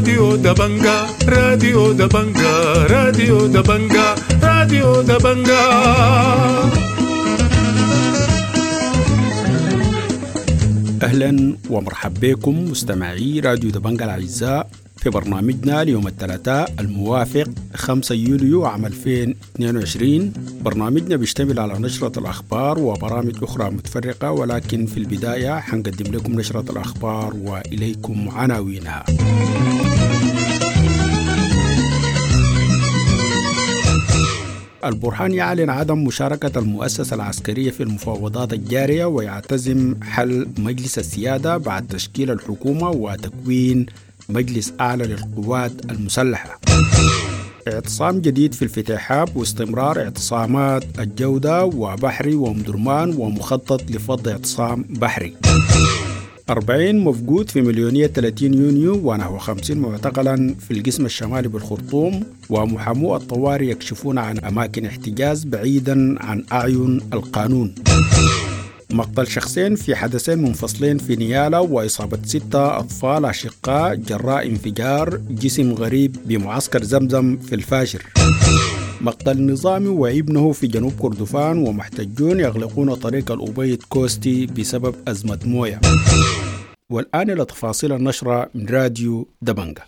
راديو دبنجا، راديو دبنجا، راديو دبنجا، راديو دبنجا. أهلا ومرحبا بكم مستمعي راديو دبنجا الأعزاء في برنامجنا ليوم الثلاثاء الموافق 5 يوليو عام 2022. برنامجنا بيشتمل على نشرة الأخبار وبرامج أخرى متفرقة، ولكن في البداية حنقدم لكم نشرة الأخبار وإليكم عناوينها. البرهان يعلن عدم مشاركة المؤسسة العسكرية في المفاوضات الجارية ويعتزم حل مجلس السيادة بعد تشكيل الحكومة وتكوين مجلس أعلى للقوات المسلحة. اعتصام جديد في الفتيحاب واستمرار اعتصامات الجودة وبحري ومدرمان ومخطط لفض اعتصام بحري. 40 مفقود في مليونية 30 يونيو ونحو 50 معتقلا في القسم الشمالي بالخرطوم، ومحامو الطوارئ يكشفون عن أماكن احتجاز بعيدا عن أعين القانون. مقتل شخصين في حدثين منفصلين في نيالا وإصابة 6 أطفال أشقاء جراء انفجار جسم غريب بمعسكر زمزم في الفاشر. مقتل نظامي وابنه في جنوب كردفان ومحتجون يغلقون طريق الأبيض كوستي بسبب أزمة موية. والآن إلى تفاصيل النشرة من راديو دبنجا.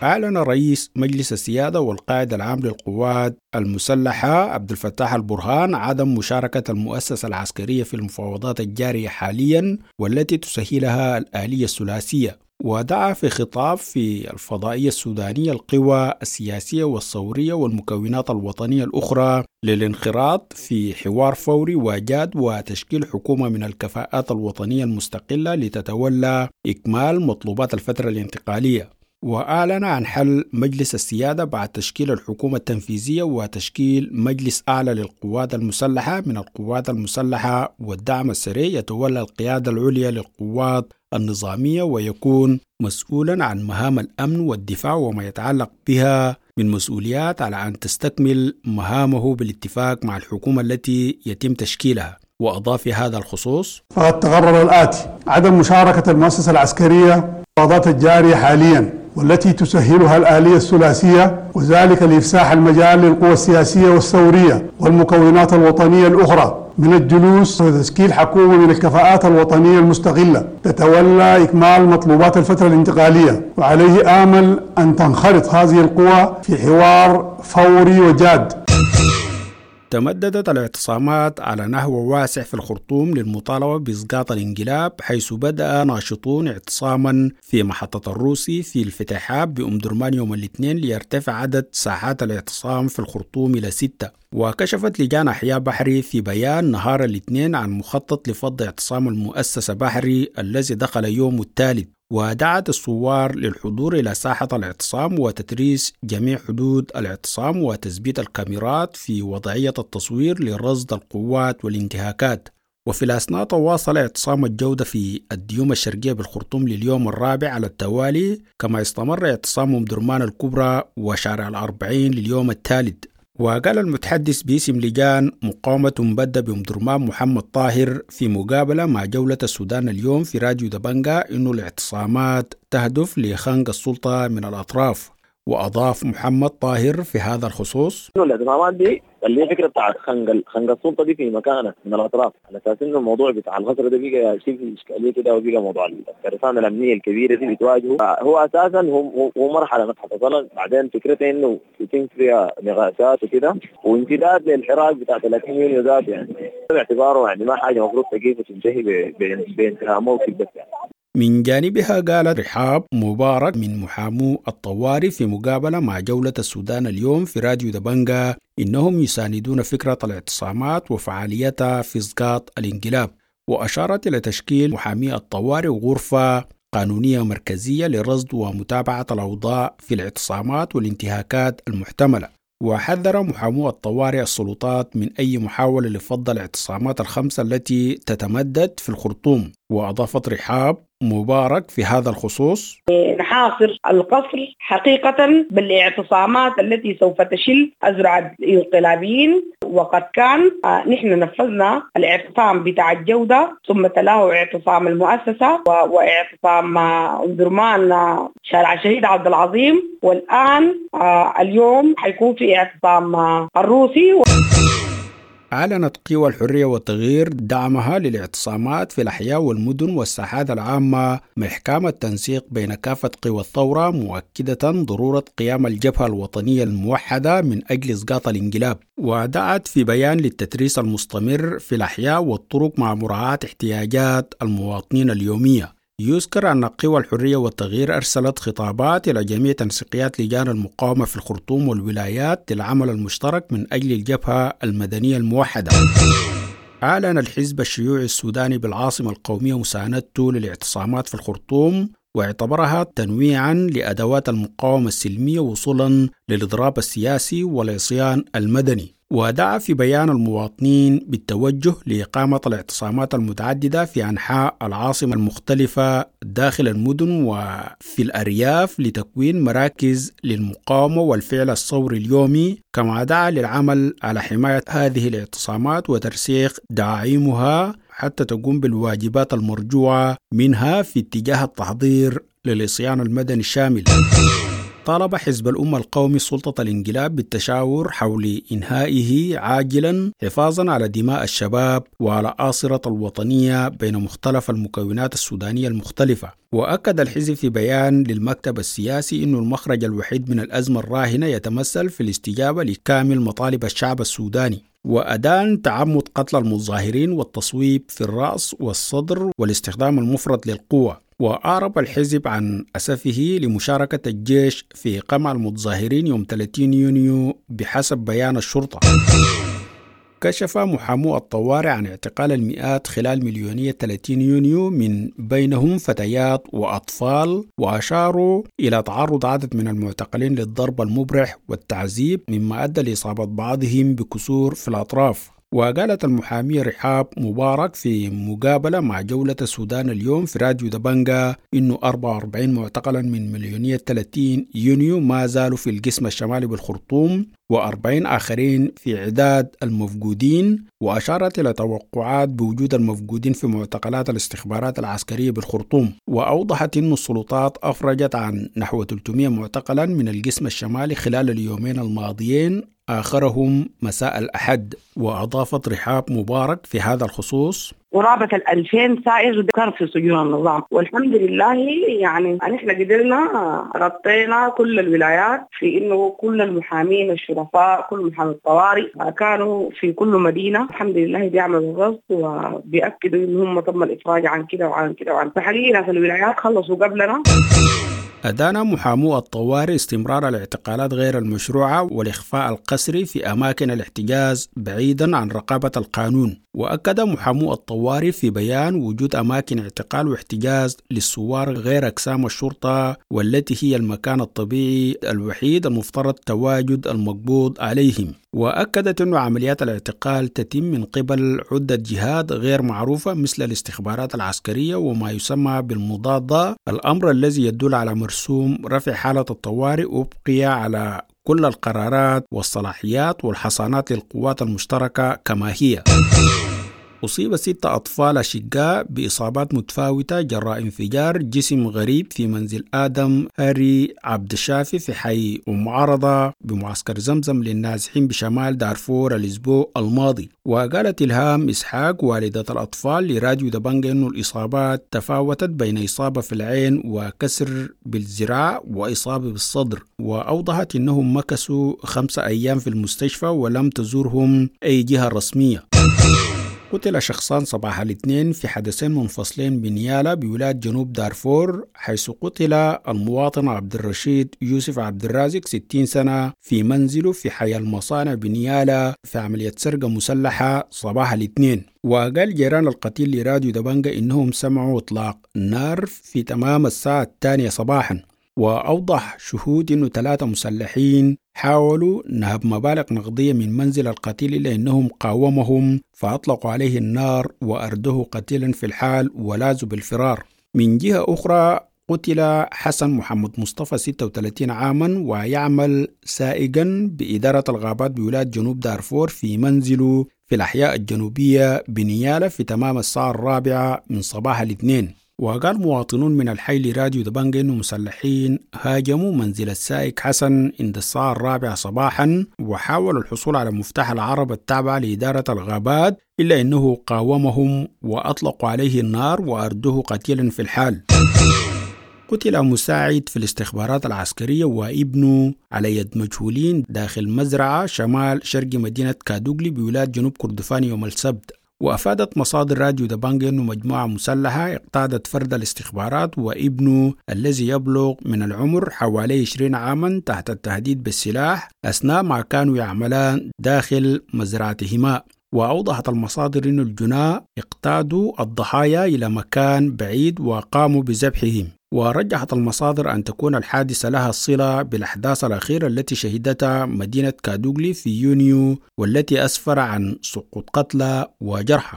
أعلن رئيس مجلس السيادة والقائد العام للقوات المسلحة عبد الفتاح البرهان عدم مشاركة المؤسسة العسكرية في المفاوضات الجارية حاليا والتي تسهلها الآلية الثلاثية، ودعا في خطاب في الفضائية السودانية القوى السياسية والثورية والمكونات الوطنية الأخرى للانخراط في حوار فوري وجاد وتشكيل حكومة من الكفاءات الوطنية المستقلة لتتولى إكمال مطلوبات الفترة الانتقالية. وأعلن عن حل مجلس السيادة بعد تشكيل الحكومة التنفيذية وتشكيل مجلس أعلى للقوات المسلحة من القوات المسلحة والدعم السريع يتولى القيادة العليا للقوات النظامية ويكون مسؤولا عن مهام الأمن والدفاع وما يتعلق بها من مسؤوليات، على أن تستكمل مهامه بالاتفاق مع الحكومة التي يتم تشكيلها. وأضاف في هذا الخصوص: فقد تقرر الآتي: عدم مشاركة المؤسسة العسكرية المفاوضات الجارية حاليا والتي تسهلها الآلية الثلاثية، وذلك لإفساح المجال للقوى السياسية والثورية والمكونات الوطنية الأخرى من الجلوس وتشكيل حكومة من الكفاءات الوطنية المستقلة تتولى إكمال مطلوبات الفترة الانتقالية، وعليه آمل أن تنخرط هذه القوى في حوار فوري وجاد. تمددت الاعتصامات على نحو واسع في الخرطوم للمطالبة بإسقاط الانقلاب، حيث بدأ ناشطون اعتصاما في محطة الروسي في الفتيحاب بأم درمان يوم الاثنين ليرتفع عدد ساحات الاعتصام في الخرطوم إلى 6. وكشفت لجان أحياء بحري في بيان نهار الاثنين عن مخطط لفض اعتصام المؤسسة بحري الذي دخل يوم الثالث، ودعت الثوار للحضور إلى ساحة الاعتصام وتتريس جميع حدود الاعتصام وتثبيت الكاميرات في وضعية التصوير لرصد القوات والانتهاكات. وفي الأثناء تواصل اعتصام الجودة في الديوم الشرقية بالخرطوم لليوم الرابع على التوالي، كما استمر اعتصام أم درمان الكبرى وشارع 40 لليوم الثالث. وقال المتحدث باسم لجان مقاومة مبدأ بأم درمان محمد طاهر في مقابلة مع جولة السودان اليوم في راديو دبنجا إنه الاعتصامات تهدف لخنق السلطة من الأطراف. وأضاف محمد طاهر في هذا الخصوص: إنه الاعتصامات دي اللي هي فكرة بتاع خنق السلطة دي في مكانها من الأطراف، على أساس إنه الموضوع بتاع الغزر ده بقى شيء في إشكالية كده، وبقى موضوع الترسانة الأمنية الكبيرة دي بتواجهه هو أساسا هو مرحلة متحصلة. بعدين فكرته إنه يتم فيها نقاشات وكده وامتداد للحراك بتاع 30 يونيو ذات، يعني باعتباره يعني ما حاجة المفروض تقيف وتنتهي بانتهاء موقف بس يعني. من جانبها قالت رحاب مبارك من محامو الطوارئ في مقابلة مع جولة السودان اليوم في راديو دبنجا إنهم يساندون فكرة الاعتصامات وفعاليتها في إسقاط الانقلاب، وأشارت إلى تشكيل محامي الطوارئ غرفة قانونية مركزية لرصد ومتابعة الأوضاع في الاعتصامات والانتهاكات المحتملة. وحذر محامو الطوارئ السلطات من أي محاولة لفض الاعتصامات الخمسة التي تتمدد في الخرطوم. وأضافت رحاب مبارك في هذا الخصوص: نحاصر القصر حقيقة بالاعتصامات التي سوف تشل أزرع الانقلابيين، وقد كان نحن نفذنا الاعتصام بتاع الجودة، ثم تلاه اعتصام المؤسسة واعتصام أم درمان شارع الشهيد عبد العظيم، والآن اليوم حيكون في اعتصام الروسي. أعلنت قوى الحرية والتغيير دعمها للاعتصامات في الأحياء والمدن والساحات العامة مع إحكام التنسيق بين كافة قوى الثورة، مؤكدة ضرورة قيام الجبهة الوطنية الموحدة من أجل إسقاط الانقلاب. ودعت في بيان للتتريس المستمر في الأحياء والطرق مع مراعاة احتياجات المواطنين اليومية. يذكر أن قوى الحرية والتغيير أرسلت خطابات إلى جميع تنسيقيات لجان المقاومة في الخرطوم والولايات للعمل المشترك من أجل الجبهة المدنية الموحدة. أعلن الحزب الشيوعي السوداني بالعاصمة القومية مساندته للاعتصامات في الخرطوم، واعتبرها تنويعا لأدوات المقاومة السلمية وصولا للإضراب السياسي والعصيان المدني. ودعا في بيان المواطنين بالتوجه لإقامة الاعتصامات المتعددة في أنحاء العاصمة المختلفة داخل المدن وفي الأرياف لتكوين مراكز للمقاومة والفعل الثوري اليومي، كما دعا للعمل على حماية هذه الاعتصامات وترسيخ دعائمها حتى تقوم بالواجبات المرجوعة منها في اتجاه التحضير للعصيان المدني الشامل. طالب حزب الأمة القومي سلطة الانقلاب بالتشاور حول إنهائه عاجلا حفاظا على دماء الشباب وعلى آصرة الوطنية بين مختلف المكونات السودانية المختلفة. وأكد الحزب في بيان للمكتب السياسي أن المخرج الوحيد من الأزمة الراهنة يتمثل في الاستجابة لكامل مطالب الشعب السوداني، وأدان تعمد قتل المتظاهرين والتصويب في الرأس والصدر والاستخدام المفرط للقوة. وأعرب الحزب عن أسفه لمشاركة الجيش في قمع المتظاهرين يوم 30 يونيو بحسب بيان الشرطة. كشف محامو الطوارئ عن اعتقال المئات خلال مليونية 30 يونيو من بينهم فتيات وأطفال، وأشاروا إلى تعرض عدد من المعتقلين للضرب المبرح والتعذيب مما أدى لإصابة بعضهم بكسور في الأطراف. وقالت المحامية رحاب مبارك في مقابلة مع جولة السودان اليوم في راديو دبنجا إنه 44 معتقلا من مليونية 30 يونيو ما زالوا في القسم الشمالي بالخرطوم، و40 آخرين في عداد المفقودين. وأشارت إلى توقعات بوجود المفقودين في معتقلات الاستخبارات العسكرية بالخرطوم. وأوضحت أن السلطات أفرجت عن نحو 300 معتقلا من القسم الشمالي خلال اليومين الماضيين، آخرهم مساء الأحد. وأضافت رحاب مبارك في هذا الخصوص: قرابة 2000 سائر كان في سجون النظام، والحمد لله يعني نحن قدرنا غطينا كل الولايات في إنه كل المحامين الشرفاء، كل محامي الطوارئ كانوا في كل مدينة، الحمد لله بيعملوا الرصد وبيأكدوا إن هم تم الإفراج عن كده وعن كده وعن. فحقيقة في الولايات خلصوا قبلنا. أدان محامو الطوارئ استمرار الاعتقالات غير المشروعة والإخفاء القسري في أماكن الاحتجاز بعيدا عن رقابة القانون. وأكد محامو الطوارئ في بيان وجود أماكن اعتقال واحتجاز للثوار غير أقسام الشرطة، والتي هي المكان الطبيعي الوحيد المفترض تواجد المقبوض عليهم. وأكدت أن عمليات الاعتقال تتم من قبل عدة جهات غير معروفة مثل الاستخبارات العسكرية وما يسمى بالمضادة، الأمر الذي يدل على مرسوم رفع حالة الطوارئ وبقي على كل القرارات والصلاحيات والحصانات للقوات المشتركة كما هي. أصيب 6 أطفال أشقاء بإصابات متفاوتة جراء انفجار جسم غريب في منزل آدم هاري عبد الشافي في حي أم عرضة بمعسكر زمزم للنازحين بشمال دارفور الأسبوع الماضي. وقالت إلهام إسحاق والدة الأطفال لراديو دبنجا أن الإصابات تفاوتت بين إصابة في العين وكسر بالذراع وإصابة بالصدر، وأوضحت أنهم مكثوا 5 أيام في المستشفى ولم تزورهم أي جهة رسمية. قتل شخصان صباح الاثنين في حدثين منفصلين بنيالا بولاية جنوب دارفور، حيث قتل المواطن عبد الرشيد يوسف عبد الرازق 60 سنة في منزله في حي المصانع بنيالا في عملية سرقة مسلحة صباح الاثنين. وقال جيران القتيل لراديو دبنجا إنهم سمعوا إطلاق نار في تمام الساعة 2 صباحا. وأوضح شهود أنه 3 مسلحين حاولوا نهب مبالغ نقدية من منزل القتيل إلا أنهم قاومهم فأطلقوا عليه النار وأردوه قتيلا في الحال ولاذوا بالفرار. من جهة أخرى قتل حسن محمد مصطفى 36 عاما ويعمل سائقا بإدارة الغابات بولاية جنوب دارفور في منزله في الأحياء الجنوبية بنيالة في تمام الساعة 4 من صباح الاثنين. وقال مواطنون من الحي لراديو دبنجة إنه مسلحين هاجموا منزل السائق حسن عند الساعة 4 صباحا وحاولوا الحصول على مفتاح العربة التابعة لإدارة الغابات، إلا أنه قاومهم وأطلقوا عليه النار وأردوه قتيلا في الحال. قتل مساعد في الاستخبارات العسكرية وابنه على يد مجهولين داخل مزرعة شمال شرق مدينة كادوغلي بولاية جنوب كردفان يوم السبت. وأفادت مصادر راديو دبانجا أنه مجموعة مسلحة اقتادت فرد الاستخبارات وابنه الذي يبلغ من العمر حوالي 20 عاما تحت التهديد بالسلاح أثناء ما كانوا يعملان داخل مزرعتهما. وأوضحت المصادر أن الجناة اقتادوا الضحايا إلى مكان بعيد وقاموا بذبحهم. ورجحت المصادر أن تكون الحادثة لها صلة بالأحداث الأخيرة التي شهدتها مدينة كادوغلي في يونيو والتي أسفر عن سقوط قتلى وجرحى.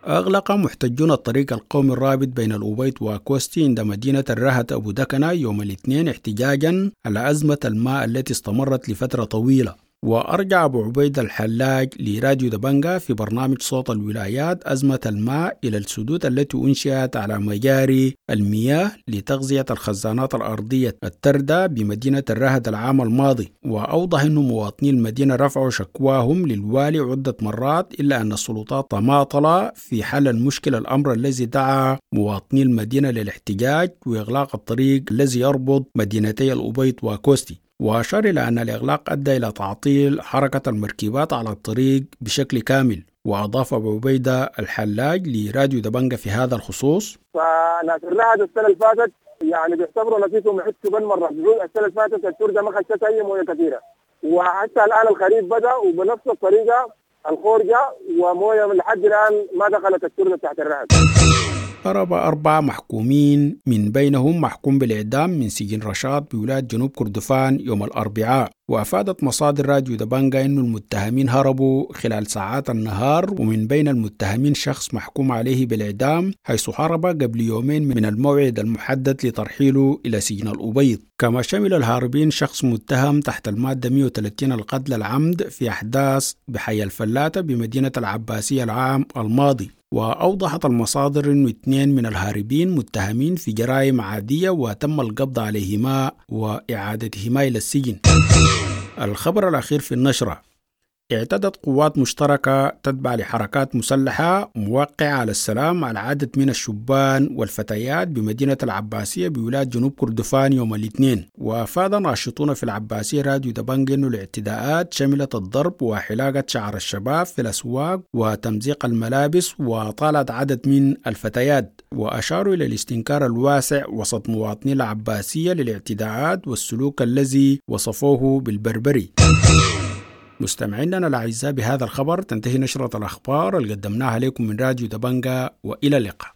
أغلق محتجون الطريق القومي الرابط بين الأبيض وكوستي عند مدينة الرهد أبو دكنة يوم الاثنين احتجاجا على أزمة الماء التي استمرت لفترة طويلة. وأرجع أبو عبيد الحلاج لراديو دبنجا في برنامج صوت الولايات أزمة الماء إلى السدود التي أنشئت على مجاري المياه لتغذية الخزانات الأرضية التردة بمدينة الرهد العام الماضي. وأوضح أن مواطني المدينة رفعوا شكواهم للوالي عدة مرات، إلا أن السلطات تماطل في حل المشكلة، الأمر الذي دعا مواطني المدينة للاحتجاج وإغلاق الطريق الذي يربط مدينتي الأبيض وكوستي. وأشار إلى أن الإغلاق أدى إلى تعطيل حركة المركبات على الطريق بشكل كامل. وأضاف أبو عبيدة الحلاج لراديو دبنجة في هذا الخصوص: فناس الرهد السنة اللي فاتت يعني بيعتبروا نفسهم عدتوا بالمرة، السنة اللي فاتت التردة ما خشت أي موية كثيرة، وحتى الآن الخريف بدأ وبنفس الطريقة الخورجة وموية لحد الآن ما دخلت التردة تحت الرهد. هرب 4 محكومين من بينهم محكوم بالإعدام من سجن رشاد بولاية جنوب كردفان يوم الأربعاء. وأفادت مصادر راديو دبنجا أن المتهمين هربوا خلال ساعات النهار، ومن بين المتهمين شخص محكوم عليه بالإعدام حيث هرب قبل يومين من الموعد المحدد لترحيله إلى سجن الأبيض. كما شمل الهاربين شخص متهم تحت المادة 130 القتل العمد في أحداث بحي الفلاتة بمدينة العباسية العام الماضي. وأوضحت المصادر أن 2 من الهاربين متهمين في جرائم عادية وتم القبض عليهما وإعادتهما إلى السجن. الخبر الأخير في النشرة: اعتدت قوات مشتركة تتبع لحركات مسلحة موقعة على السلام على عدد من الشبان والفتيات بمدينة العباسية بولاية جنوب كردفان يوم الاثنين. وأفاد ناشطون في العباسية راديو دبنج أن الاعتداءات شملت الضرب وحلاقة شعر الشباب في الأسواق وتمزيق الملابس وطالت عدد من الفتيات. وأشاروا إلى الاستنكار الواسع وسط مواطني العباسية للاعتداءات والسلوك الذي وصفوه بالبربري. مستمعينا الأعزاء، بهذا الخبر تنتهي نشرة الأخبار اللي قدمناها لكم من راديو دبنجا، وإلى اللقاء.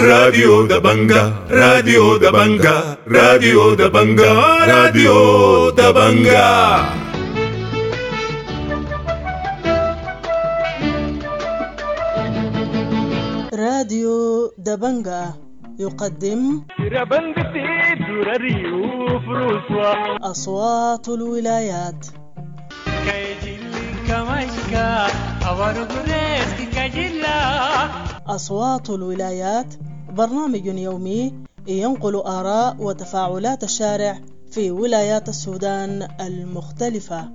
راديو دبنجا، راديو دبنجا، راديو دبنجا، راديو دبنجا. راديو دبنجا يقدم أصوات الولايات. أصوات الولايات برنامج يومي ينقل آراء وتفاعلات الشارع في ولايات السودان المختلفة.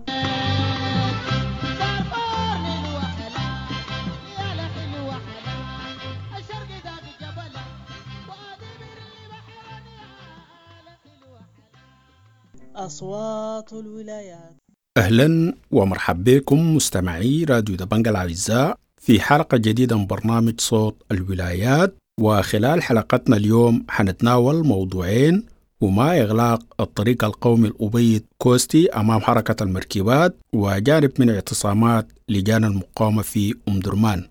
أصوات الولايات. أهلا ومرحبا بكم مستمعي راديو دبنجا الأعزاء في حلقة جديدة من برنامج صوت الولايات. وخلال حلقتنا اليوم حنتناول موضوعين، هما إغلاق الطريق القومي الأبيض كوستي أمام حركة المركبات، وجانب من اعتصامات لجان المقاومة في أم درمان.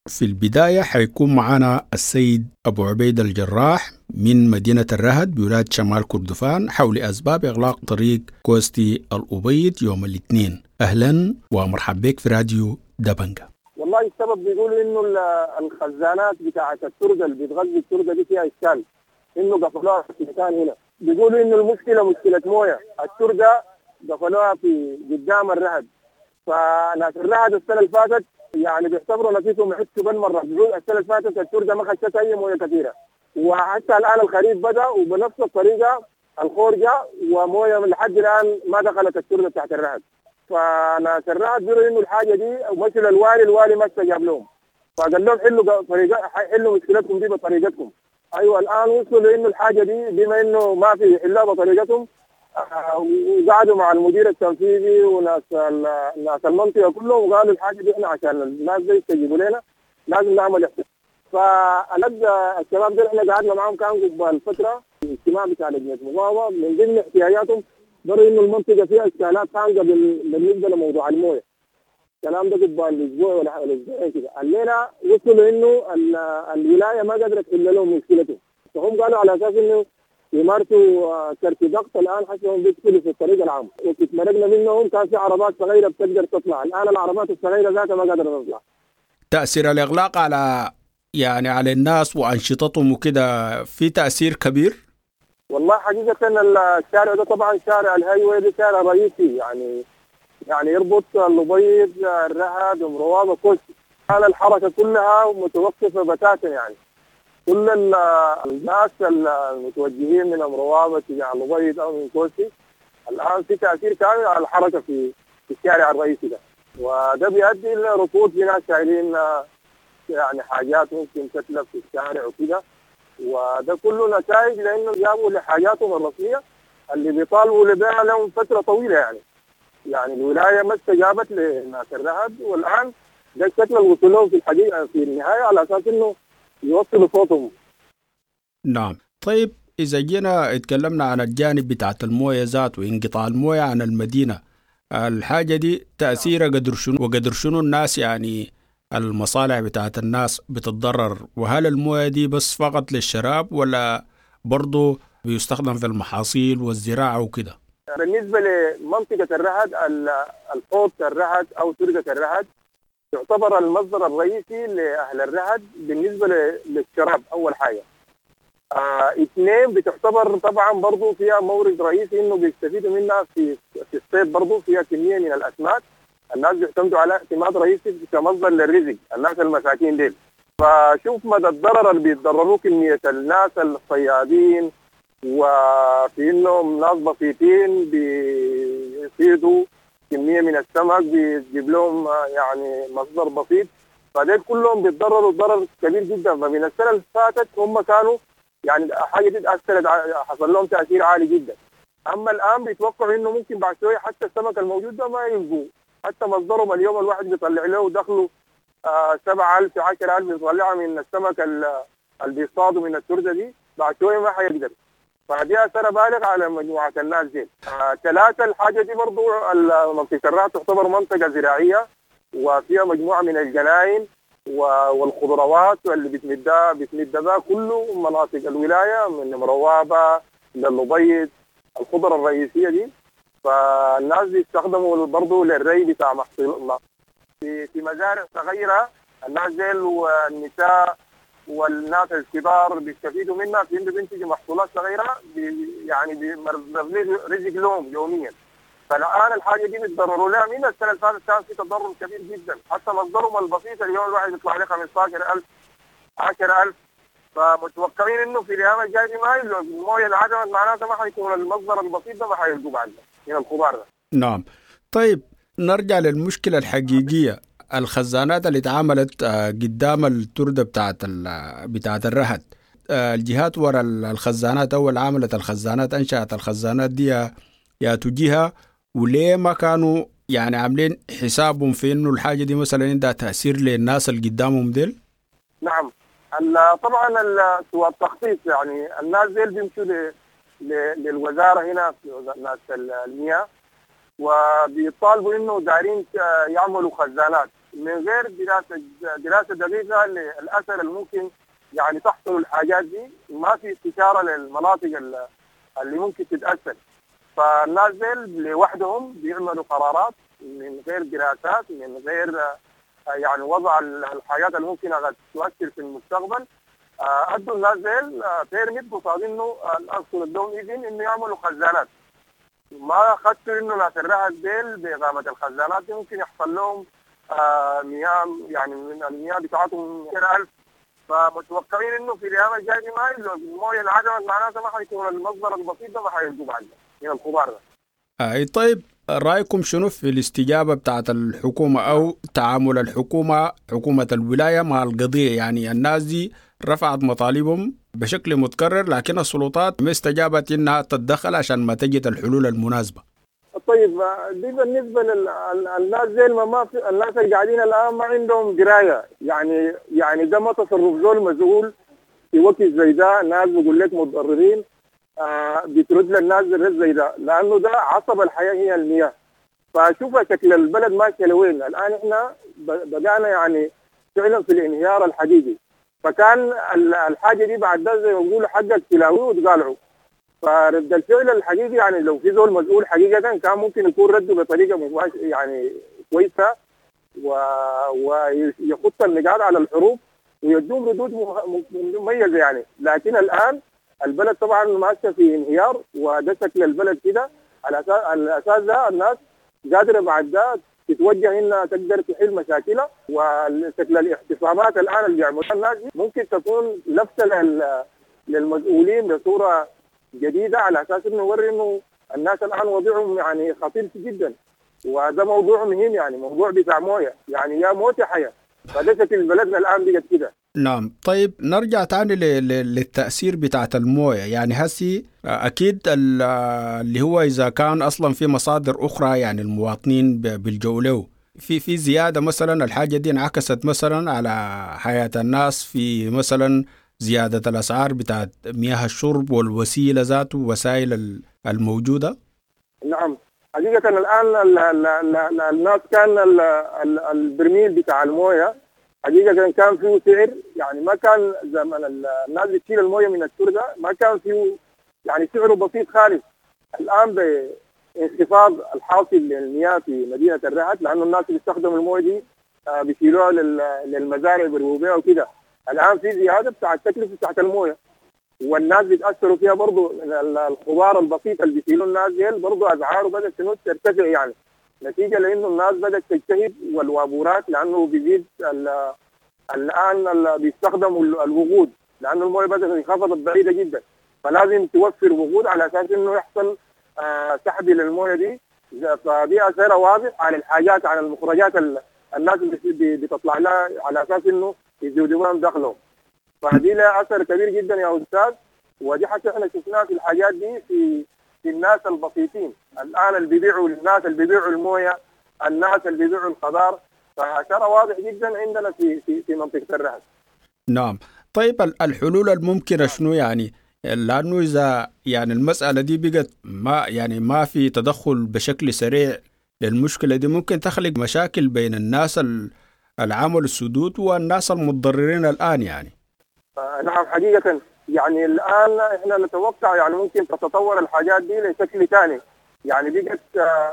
في البداية حيكون معنا السيد أبو عبيد الجراح من مدينة الرهد بولاية شمال كردفان حول أسباب إغلاق طريق كوستي الأبيض يوم الاثنين. أهلا ومرحبا بك في راديو دبنجا. والله السبب بيقولوا انه الخزانات بتاعه الترده اللي بتغذي الترده دي فيها اشكال، انه قفلوها في مكان هنا. بيقولوا انه المشكلة مشكلة مويه، الترده قفلوها في قدام الرهد. فناس الرهد السنة اللي فاتت يعني بيعتبروا نفسهم عدتوا بالمرة، بيقولوا السنة اللي فاتت الترده ما خشت اي مويه كثيرة، وحتى الان الخريف بدا وبنفس الطريقة الخور جاء ومويه لحد الان ما دخلت الترده تحت الرهد. فناس الرهد بيقولوا انه الحاجة دي ومشوا للوالي، الوالي ما استجاب لهم، فقال لهم حلوا طريقه، حلوا مشكلتكم دي بطريقتكم. ايوه الان وصلوا لانه الحاجة دي بما انه ما في حلها بطريقتهم، وقعدوا مع المدير التنفيذي وناس ناس المنطقة كلهم وقالوا الحاجة دي احنا عشان الناس دي يستجيبوا لنا لازم نعمل احتجاج. فالد الشباب دول احنا قعدنا معاهم كان قبل فترة اجتماع بتاع لجنة مقاومة، من ضمن احتياجاتهم قالوا انه المنطقة فيها اشكالات خانقه بالنسبة لموضوع المويه. الكلام ده قبل اسبوع ولا اسبوعين كده. الليلة وصلوا انه الولاية ما قدرت تحل لهم مشكلتهم، فهم قالوا على اساس انه يمارسوا كرت ضغط. الان حسهم بيدخلوا في الطريق العام، وقت مرقنا منهم كان في عربات صغيرة بتقدر تطلع، الان العربات الصغيرة ذاتها ما قادرة تطلع. تاثير الاغلاق على يعني على الناس وانشطتهم وكده في تاثير كبير؟ والله حقيقة الشارع ده طبعا شارع ال highway ده شارع رئيسي، يعني يربط الأبيض الرهد ام روابه كوستي. الان الحركة كلها متوقفه بتاتا، يعني كل الناس المتوجهين من ام روابه تجاه الأبيض او من كوستي الان في تاثير كامل على الحركة في الشارع الرئيسي ده، وده بيؤدي الى ركود في ناس شايلين يعني حاجات ممكن تتلف في الشارع وكده، وده كله نتائج لانه جابوا لحاجاتهم الرسمية اللي بيطالبوا لبيعها لهم فترة طويلة. يعني الولاية ما استجابت لناس الرهد، والان ده الشكل اللي وصلوا لهم في الحقيقة في النهاية على اساس انه يوصلوا صوتهم. نعم. طيب اذا جينا اتكلمنا عن الجانب بتاعت المويه ذات وانقطاع المويه عن المدينة، الحاجة دي تاثيرها قدر شنو وقدر شنو الناس يعني المصالح بتاعت الناس بتتضرر؟ وهل المويه دي بس فقط للشراب ولا برضو بيستخدم في المحاصيل والزراعة وكده؟ بالنسبة لمنطقة الرهد، الحوض الرهد أو ترقة الرهد يعتبر المصدر الرئيسي لأهل الرهد بالنسبة للشراب أول حاجة. اثنين بتعتبر طبعا برضو فيها مورد رئيسي إنه بيستفيدوا منها في الصيد، برضو فيها كمية من الأسماك الناس بيعتمدوا على اعتماد رئيسي كمصدر للرزق، الناس المساكين ديل. فشوف مدى الضرر اللي بيتضرروه كمية الناس الصيادين، وفي انهم ناس بسيطين بيصيدوا كمية من السمك بيجيب لهم يعني مصدر بسيط، فديل كلهم بيتضرروا ضرر كبير جدا. فمن السنة اللي فاتت هم كانوا يعني حاجة دي تأثرت، حصل لهم تأثير عالي جدا. اما الان بيتوقعوا انه ممكن بعد شوية حتى السمك الموجود ده ما يلقوه، حتى مصدرهم اليوم الواحد بيطلع له دخله 7000 10000 بيطلعها من السمك اللي بيصطادوا من الترده دي، بعد شوية ما حيقدر. فدي اثر بالغ على مجموعة الناس دي. ثلاثة الحاجة دي برضو منطقة الرهد تعتبر منطقة زراعية وفيها مجموعة من الجناين والخضروات واللي بتمدها كله مناطق الولاية من مروابه للأبيض، الخضرة الرئيسية دي. فالناس بيستخدموا برضه للري بتاع محصول في مزارع صغيرة، الناس ديل والنساء والناس الكبار بيستفيدوا منها في انه بينتجوا محصولات صغيرة يعني رزق لهم يوميا. فالان الحاجة دي بيتضرروا لها من السنة اللي فاتت، كان في تضرر كبير جدا، حتى مصدرهم البسيط اليوم الواحد يطلع عليه 15000 10000. فمتوقعين انه في الايام الجاية دي ما يلقوا المويه اللي عدمت، معناتها ما حيكون المصدر البسيط ده ما حيلقوه بعد من الخضار ده. نعم. طيب نرجع للمشكلة الحقيقية، الخزانات اللي اتعملت قدام التردة بتاعت الرهد، الجهات ورا الخزانات أول عملت الخزانات أنشأت الخزانات دي يا تجيها، وليه ما كانوا يعني عاملين حسابهم في إنه الحاجة دي مثلا عندها تأثير للناس اللي قدامهم ديل؟ نعم. طبعا سوى التخطيط، يعني الناس ديل بيمشوا للوزارة هنا في ناس المياه وبيطالبوا انه دارين يعملوا خزانات من غير دراسة دقيقة للاثر الممكن يعني تحصل الحاجات دي، ما في استشاره للمناطق اللي ممكن تتاثر. فالناس ديل لوحدهم بيعملوا قرارات من غير دراسات، من غير يعني وضع الحاجات الممكنة قد تؤثر في المستقبل. ادوا الناس ديل permit قصاد انه الاصل ادوهم اذن انه يعملوا خزانات. ما اخذتوا انه ناس الرهد ديل باقامة الخزانات دي ممكن يحصل لهم مياه، يعني من المياه بتاعتهم 1000، فمتوقعين انه في الايام الجاية دي ما المويه انعدمت معناتها ما حيكون المصدر البسيط ده ما حيلقوا بعد من الخضار ده. اي طيب، رايكم شنو في الاستجابة بتاعت الحكومة او تعامل الحكومة، حكومة الولاية مع القضية؟ يعني الناس دي رفعت مطالبهم بشكل متكرر، لكن السلطات ما استجابت انها تتدخل عشان ما تجد الحلول المناسبة. طيب دي بالنسبة للناس زي ما في الناس اللي قاعدين الان ما عندهم قرايه، يعني ده ما تصرف زول مسؤول في وقت زي ده. ناس بيقول لك متضررين بترد للناس الرد زي ده، لانه ده عصب الحياة هي المياه. فشوف شكل البلد ماشية لوين الان. احنا بدانا يعني فعلا في الانهيار الحقيقي. فكان الحاجة دي بعد ده زي ما بيقولوا حقك تلاويه وتقالعه. فرد الفعل الحقيقي يعني لو في زول مسؤول حقيقة كان ممكن يكون رده بطريقة مباشرة يعني كويسة، ويخط النقاط على الحروف ويدوم ردود مميزة يعني. لكن الان البلد طبعا ماشية في انهيار، وده شكل البلد كده. على الاساس ده الناس قادرة بعد ده تتوجه انها تقدر تحل مشاكلها. وشكل الاعتصامات الان اللي بيعملوها الناس ممكن تكون لفته للمسؤولين بصورة جديدة، على اساس انه يوري انه الناس الان وضعهم يعني خطير جدا، وده موضوع مهم يعني موضوع بتاع مويه، يعني يا موت يا حياة. فده شكل بلدنا الان بقت كده. نعم. طيب نرجع تاني للتأثير بتاعت الموية. يعني هسي أكيد اللي هو إذا كان أصلا في مصادر أخرى يعني المواطنين بيلجؤوا له، في زيادة مثلا، الحاجة دي انعكست مثلا على حياة الناس في مثلا زيادة الأسعار بتاعت مياه الشرب والوسيلة ذاته وسائل الموجودة. نعم حقيقة الآن الناس كان البرميل بتاع الموية حقيقة كان فيه سعر، يعني ما كان زمن الناس بتشيل الموية من التربة ما كان فيه يعني سعره بسيط خالص. الآن بانخفاض الحاصل للمياه في مدينة الرهد، لأنه الناس اللي بيستخدموا الموية دي بيشيلوها للمزارع بيرووا وكده. الآن في زيادة بتاع التكلفة بتاعت الموية، والناس بيتأثروا فيها برضو. الخضار البسيط اللي بيشيلوا الناس ديل برضو أسعاره بدأت ترتفع، يعني نتيجة لأنه الناس بدأت تجتهد والوابورات، لأنه بيزيد الآن بيستخدموا الوقود، لأنه الموية بدأت انخفضت بعيدة جدا، فلازم توفر وقود على أساس إنه يحصل سحب للموية دي. فدي أثرها واضح على الحاجات، على المخرجات الناس بتطلع لها على أساس إنه يزودوا دخلهم. فدي لها أثر كبير جدا يا أستاذ، ودي حتى احنا شفناها في الحاجات دي في الناس البسيطين الآن اللي بيبيعوا، الناس اللي بيبيعوا الموية، الناس اللي بيبيعوا الخضار. فأثرها واضح جدا عندنا في في في منطقة الرهد. نعم. طيب الحلول الممكنة شنو يعني؟ لأنه إذا يعني المسألة دي بقت ما يعني ما في تدخل بشكل سريع للمشكلة دي، ممكن تخلق مشاكل بين الناس العمل السدود والناس المتضررين الآن يعني. نعم حقيقة يعني الآن إحنا نتوقع يعني ممكن تتطور الحاجات دي لشكل ثاني، يعني بقت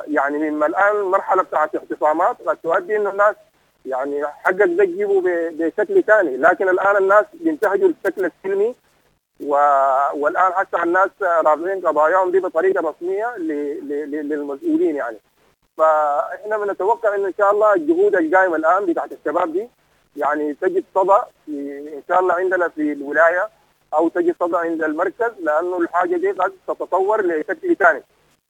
يعني مما الآن مرحلة بتاعت اعتصامات قد تؤدي إنه الناس يعني حقك ده تجيبه بشكل ثاني. لكن الآن الناس بينتهجوا الشكل السلمي، والآن حتى الناس رافعين قضاياهم دي بطريقة رسمية للمسؤولين يعني. فإحنا بنتوقع إنه إن شاء الله الجهود القائمة الآن بتاعت الشباب دي يعني تجد صدى إن شاء الله عندنا في الولاية، أو تجد صدى عند المركز، لأنه الحاجة دي قد تتطور لشكل ثاني،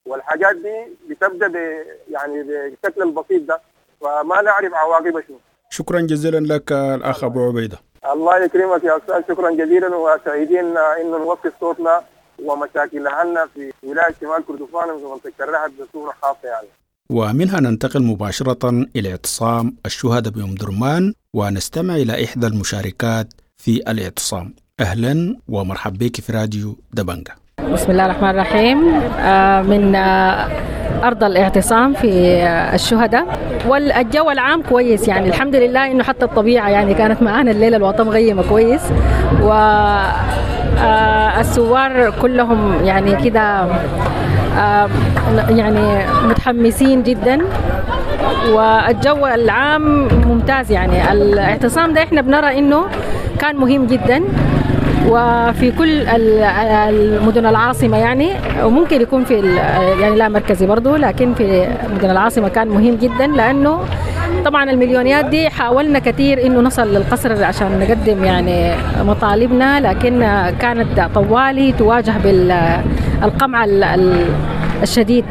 والحاجات دي بتبدأ يعني بالشكل البسيط ده، فما نعرف عواقبها شنو. شكرا جزيلا لك الأخ أبو عبيدة. الله يكرمك يا أستاذ، شكرا جزيلا، وسعيدين إنه نوصل صوتنا ومشاكل أهلنا في ولاية شمال كردفان وفي منطقة الرهد بصورة خاصة يعني. ومنها ننتقل مباشرة إلى اعتصام الشهداء بأم درمان، ونستمع إلى إحدى المشاركات في الاعتصام. أهلا ومرحبا بك في راديو دبنجة. بسم الله الرحمن الرحيم. من أرض الاعتصام في الشهداء، والجو العام كويس يعني الحمد لله، إنه حتى الطبيعة يعني كانت معانا الليلة الوطن مغيمة كويس، والثوار كلهم يعني كده يعني متحمسين جدا. والجو العام ممتاز. يعني الاعتصام ده احنا بنرى انه كان مهم جدا وفي كل المدن العاصمة يعني، وممكن يكون في يعني لا مركزي برضو، لكن في مدن العاصمة كان مهم جدا، لأنه طبعا المليونيات دي حاولنا كثير انه نصل للقصر عشان نقدم يعني مطالبنا، لكن كانت طوالي تواجه بالقمع الشديد،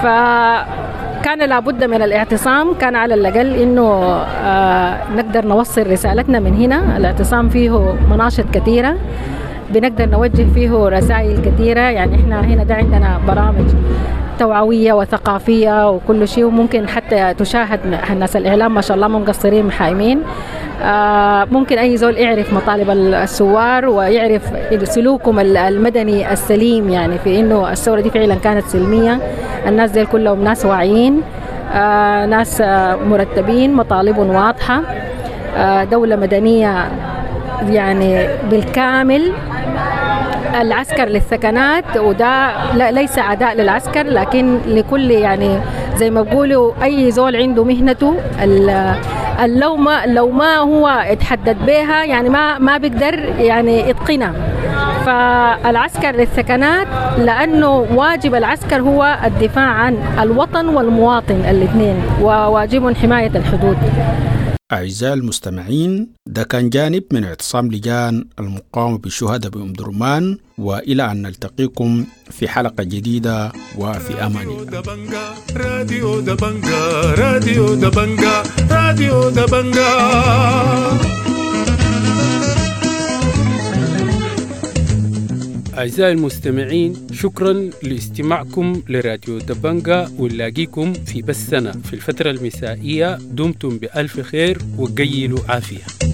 فكان لابد من الاعتصام، كان على الأقل إنه نقدر نوصل رسالتنا من هنا. الاعتصام فيه مناشط كثيرة بنقدر نوجه فيه رسائل كثيرة، يعني إحنا هنا ده عندنا برامج توعوية وثقافية وكل شيء، وممكن حتى تشاهد الناس الإعلام ما شاء الله مو مقصرين محايمين. ممكن أي زول يعرف مطالب الثوار ويعرف سلوكهم المدني السليم، يعني في إنه الثورة دي فعلا كانت سلمية، الناس دي كلهم ناس واعيين، ناس مرتبين، مطالبهم واضحة، دولة مدنية يعني بالكامل. العسكر للثكنات، وده لا ليس عداء للعسكر، لكن لكل يعني زي ما بيقولوا أي زول عنده مهنته، لو ما هو اتحدد بها يعني ما بيقدر يعني يتقنها. فالعسكر للثكنات لأنه واجب العسكر هو الدفاع عن الوطن والمواطن الاثنين، وواجب حماية الحدود. أعزائي المستمعين، ده كان جانب من اعتصام لجان المقاومة بالشهداء بأم درمان، وإلى أن نلتقيكم في حلقة جديدة وفي أمان الله. راديو دبنجا، راديو دبنجا، راديو دبنجا. أعزائي المستمعين، شكرا لاستماعكم لراديو دبنجا، ونلاقيكم في بثنا في الفترة المسائية. دمتم بألف خير وقيلوا عافية.